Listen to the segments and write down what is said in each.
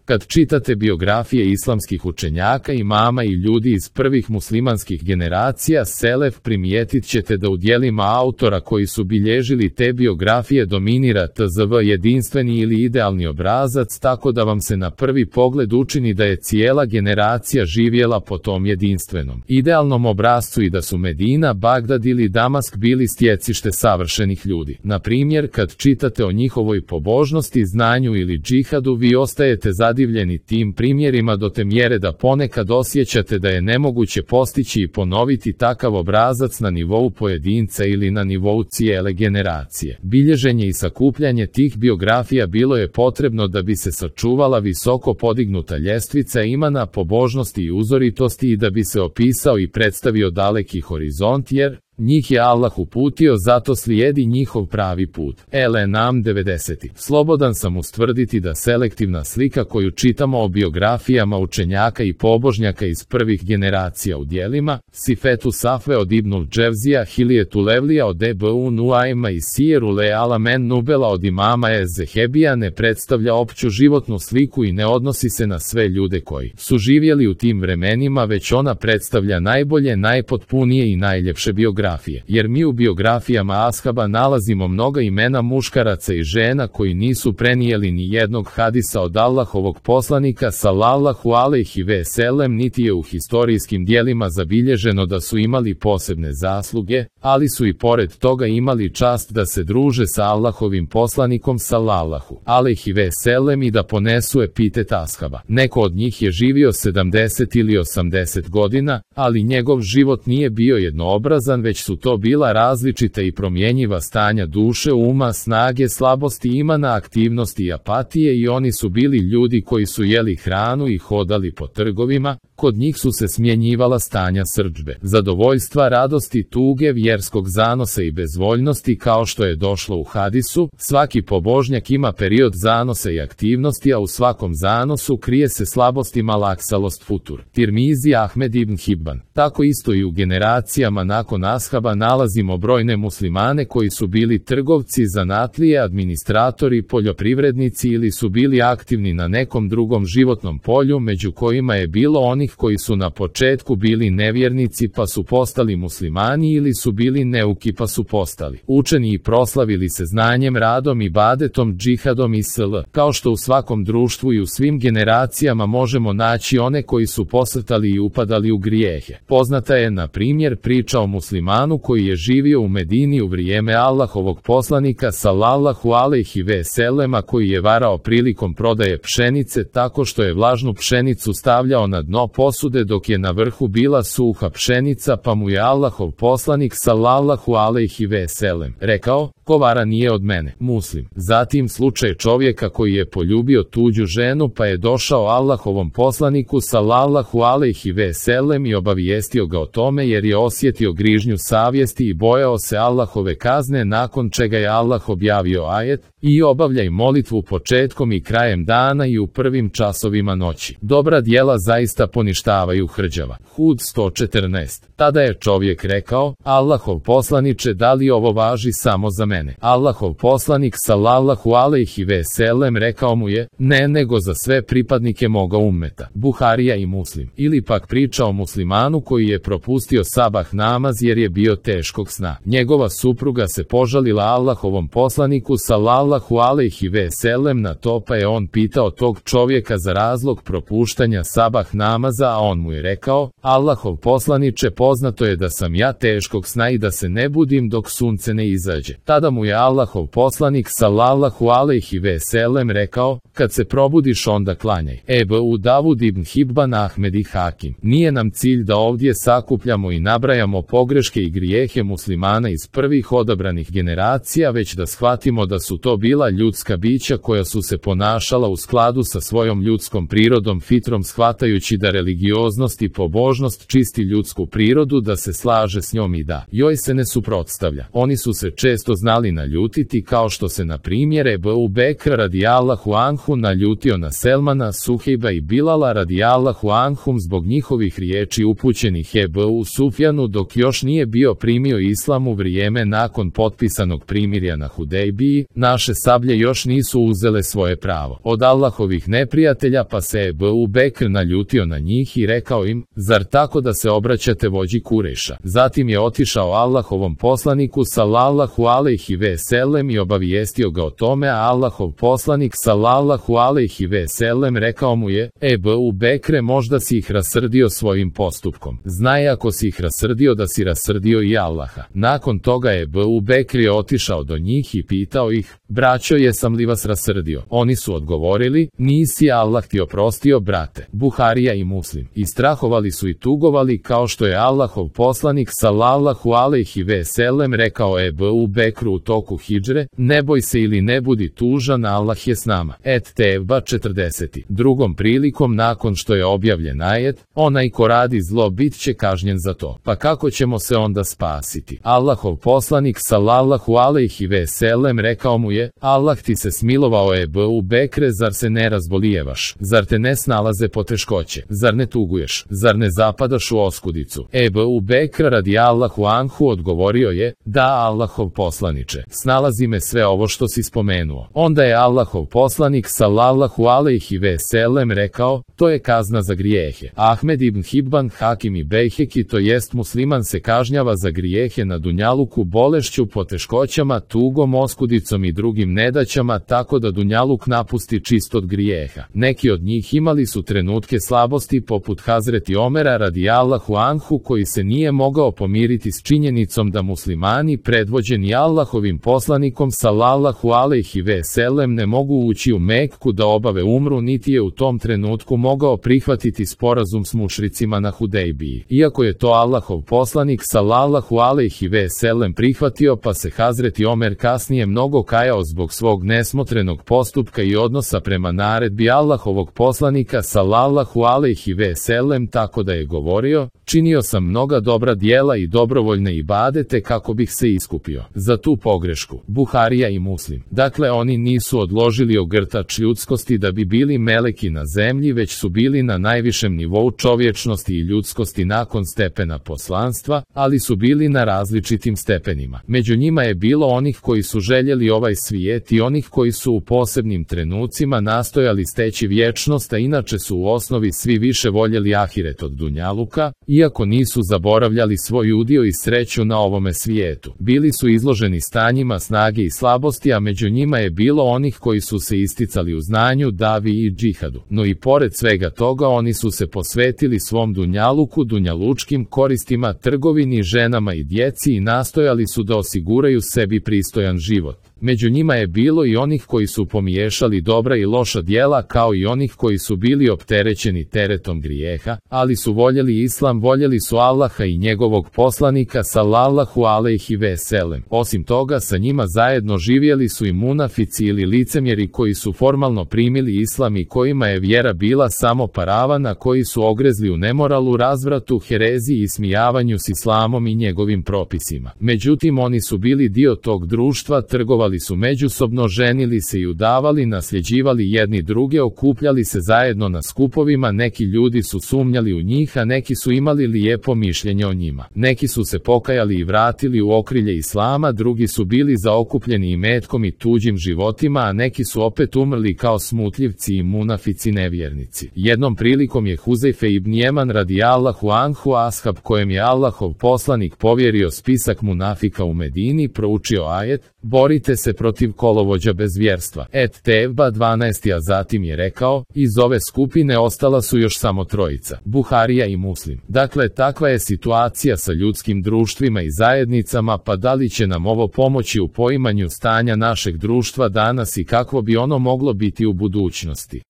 Kad čitate biografije islamskih učenjaka, imama i ljudi iz prvih muslimanskih generacija selef, primijetit ćete da u djelima autora koji su bilježili te biografije dominira tzv. Jedinstveni ili idealni obrazac, tako da vam se na prvi pogled učini da je cijela generacija živjela po tom jedinstvenom, idealnom obrascu i da su Medina, Bagdad ili Damask bili stjecište savršenih ljudi. Na primjer, kad čitate o njihovoj pobožnosti, znanju ili džihadu, vi ostajete zadivljeni tim primjerima do te mjere da ponekad osjećate da je nemoguće postići i ponoviti takav obrazac na nivou pojedinca ili na nivou cijele generacije. Bilježenje i sakupljanje tih biografija bilo je potrebno da bi se sačuvala visoko podignuta ljestvica imana, pobožnosti i uzoritosti i da bi se opisao i predstavio daleki horizont, jer njih je Allah uputio, zato slijedi njihov pravi put. LNAM 90. Slobodan sam ustvrditi da selektivna slika koju čitamo o biografijama učenjaka i pobožnjaka iz prvih generacija u djelima Sifetu Safve od Ibnul Dževzija, Hiljetu Levlija od Ebu Nuajma i Sijeru Le Alamen Nubela od imama Ezehebija ne predstavlja opću životnu sliku i ne odnosi se na sve ljude koji su živjeli u tim vremenima, već ona predstavlja najbolje, najpotpunije i najljepše biografije. Jer mi u biografijama ashaba nalazimo mnoga imena muškaraca i žena koji nisu prenijeli ni jednog hadisa od Allahovog poslanika sallallahu alejhi ve sellem, niti je u historijskim dijelima zabilježeno da su imali posebne zasluge, ali su i pored toga imali čast da se druže sa Allahovim poslanikom sallallahu alejhi ve sellem i da ponesu epitet ashaba. Neko od njih je živio 70 ili 80 godina, ali njegov život nije bio jednoobrazan, već su to bila različita i promjenjiva stanja duše, uma, snage, slabosti, imana, aktivnosti i apatije, i oni su bili ljudi koji su jeli hranu i hodali po trgovima. Kod njih su se smjenjivala stanja srdžbe, zadovoljstva, radosti, tuge, vjerskog zanosa i bezvoljnosti, kao što je došlo u hadisu. Svaki pobožnjak ima period zanosa i aktivnosti, a u svakom zanosu krije se slabost i malaksalost futur. Tirmizi, Ahmed ibn Hibban. Tako isto i u generacijama nakon ashaba nalazimo brojne muslimane koji su bili trgovci, zanatlije, administratori, poljoprivrednici ili su bili aktivni na nekom drugom životnom polju, među kojima je bilo onih koji su na početku bili nevjernici pa su postali muslimani ili su bili neuki pa su postali učeni i proslavili se znanjem, radom, ibadetom, džihadom i sl. Kao što u svakom društvu i u svim generacijama možemo naći one koji su posrtali i upadali u grijehe. Poznata je, na primjer, priča o muslimanu koji je živio u Medini u vrijeme Allahovog poslanika sallallahu alejhi ve sellema, koji je varao prilikom prodaje pšenice tako što je vlažnu pšenicu stavljao na dno posude dok je na vrhu bila suha pšenica, pa mu je Allahov poslanik sallallahu alejhi ve sellem rekao: ko vara nije od mene. Muslim. Zatim slučaj čovjeka koji je poljubio tuđu ženu pa je došao Allahovom poslaniku sallallahu alejhi ve sellem i obavijestio ga o tome jer je osjetio grižnju savjesti i bojao se Allahove kazne, nakon čega je Allah objavio ajet: i obavljaj molitvu početkom i krajem dana i u prvim časovima noći. Dobra djela zaista poništavaju hrđava. Hud 114. Tada je čovjek rekao: Allahov poslaniče, da li ovo važi samo za mene? Allahov poslanik sallallahu alejhi ve sellem rekao mu je: ne, nego za sve pripadnike moga ummeta. Buharija i Muslim. Ili pak priča o muslimanu koji je propustio sabah namaz jer je bio teškog sna. Njegova supruga se požalila Allahovom poslaniku sallallahu alejhi ve sellem na to, pa je on pitao tog čovjeka za razlog propuštanja sabah namaza, a on mu je rekao: Allahov poslaniče, poznato je da sam ja teškog sna i da se ne budim dok sunce ne izađe. Tada mu je Allahov poslanik sallallahu alejhi ve sellem rekao: kad se probudiš onda klanjaj. Ebu Davud ibn Hibban, Ahmed i Hakim. Nije nam cilj da ovdje sakupljamo i nabrajamo pogreške i grijehe muslimana iz prvih odabranih generacija, već da shvatimo da su to bila ljudska bića koja su se ponašala u skladu sa svojom ljudskom prirodom, fitrom, shvatajući da religioznost i pobožnost čisti ljudsku prirodu, da se slaže s njom i da joj se ne suprotstavlja. Oni su se često znali naljutiti, kao što se na primjer Ebu Bekr radijallahu anhu naljutio na Selmana, Suhejba i Bilala radijallahu anhum zbog njihovih riječi upućenih Ebu Sufjanu dok još nije bio primio islam u vrijeme nakon potpisanog primirja na Hudejbiji, naše sablje još nisu uzele svoje pravo od Allahovih neprijatelja, pa se Ebu Bekr naljutio na njih i rekao im, zar tako da se obraćate vođi Kurejša? Zatim je otišao Allahovom poslaniku sallallahu alejhi ve sellem i obavijestio ga o tome, a Allahov poslanik sallallahu alejhi ve sellem rekao mu je, Ebu Bekre, možda si ih rasrdio svojim postupkom. Znaj, ako si ih rasrdio, da si rasrdio i Allaha. Nakon toga je Ebu Bekr je otišao do njih i pitao ih, braćo, jesam li vas rasrdio? Oni su odgovorili, nisi, Allah ti oprostio, brate. Buharija i Muslim. I strahovali su i tugovali, kao što je Allahov poslanik sallallahu alejhi ve sellem rekao Ebu Bekru u toku hidžre, ne boj se ili ne budi tužan, Allah je s nama. Tevba 40. Drugom prilikom, nakon što je objavljen ajet, onaj ko radi zlo bit će kažnjen za to. Pa kako ćemo se onda spasiti? Allahov poslanik sallallahu alejhi ve sellem rekao mu je, Allah ti se smilovao, Ebu Bekre, zar se ne razbolijevaš? Zar te ne snalaze poteškoće? Zar ne tuguješ? Zar ne zapadaš u oskudicu? Ebu Bekr radijallahu anhu odgovorio je, da, Allahov poslaniče, snalazi me sve ovo što si spomenuo. Onda je Allahov poslanik sallallahu alejhi ve sellem rekao, to je kazna za grijehe. Ahmed ibn Hibban, Hakim i Bejheki, to jest musliman se kažnjava za grijehe na dunjaluku bolešću, poteškoćama, tugom, oskudicom i drugim nedaćama, tako da dunjaluk napusti čist od grijeha. Neki od njih imali su trenutke slabosti, poput Hazreti Omera radijallahu anhu, koji se nije mogao pomiriti s činjenicom da muslimani predvođeni Allahovim poslanikom sallallahu alejhi ve sellem ne mogu ući u Mekku da obave umru, niti je u tom trenutku mogao prihvatiti sporazum s mušricima na Hudejbiji. Iako je to Allahov poslanik sallallahu alejhi ve sellem prihvatio, pa se Hazreti Omer kasnije mnogo kajao zbog svog nesmotrenog postupka i odnosa prema naredbi Allahovog poslanika sallallahu alejhi ve sellem, tako da je govorio, činio sam mnoga dobra djela i dobrovoljne ibadete kako bih se iskupio za tu pogrešku. Buharija i Muslim. Dakle, oni nisu odložili ogrtač ljudskosti da bi bili meleki na zemlji, već su bili na najvišem nivou čovječnosti i ljudskosti nakon stepena poslanstva, ali su bili na različitim stepenima. Među njima je bilo onih koji su željeli ovaj svijet i onih koji su u posebnim trenucima nastojali steći vječnost, a inače su u osnovi svi više voljeli ahiret od dunjaluka, iako nisu zaboravljali svoj udio i sreću na ovome svijetu. Bili su izloženi stanjima snage i slabosti, a među njima je bilo onih koji su se isticali u znanju, davi i džihadu. No i pored svega toga oni su se posvetili svom dunjaluku, dunjalučkim koristima, trgovini, ženama i djeci i nastojali su da osiguraju sebi pristojan život. Među njima je bilo i onih koji su pomiješali dobra i loša djela, kao i onih koji su bili opterećeni teretom grijeha, ali su voljeli islam, voljeli su Allaha i njegovog poslanika sallallahu alejhi ve sellem. Osim toga, sa njima zajedno živjeli su i munafici ili licemjeri koji su formalno primili islam i kojima je vjera bila samo paravana, koji su ogrezli u nemoralu, razvratu, hereziji i smijavanju s islamom i njegovim propisima. Međutim, oni su bili dio tog društva, trgovali su međusobno, ženili se i udavali, nasljeđivali jedni druge, okupljali se zajedno na skupovima, neki ljudi su sumnjali u njih, a neki su imali lijepo mišljenje o njima. Neki su se pokajali i vratili u okrilje islama, drugi su bili zaokupljeni imetkom i tuđim životima, a neki su opet umrli kao smutljivci i munafici nevjernici. Jednom prilikom je Huzejfe ibn Jeman radijallahu anhu, ashab kojem je Allahov poslanik povjerio spisak munafika u Medini, proučio ajet, borite se protiv kolovođa bez vjerstva. Tevba 12. A zatim je rekao, iz ove skupine ostala su još samo trojica. Buharija i Muslim. Dakle, takva je situacija sa ljudskim društvima i zajednicama, pa da li će nam ovo pomoći u poimanju stanja našeg društva danas i kakvo bi ono moglo biti u budućnosti?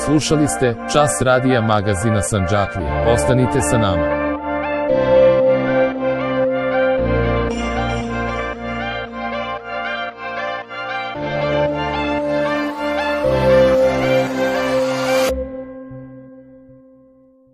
Slušali ste Čas radija magazina Sandžaklija. Ostanite sa nama.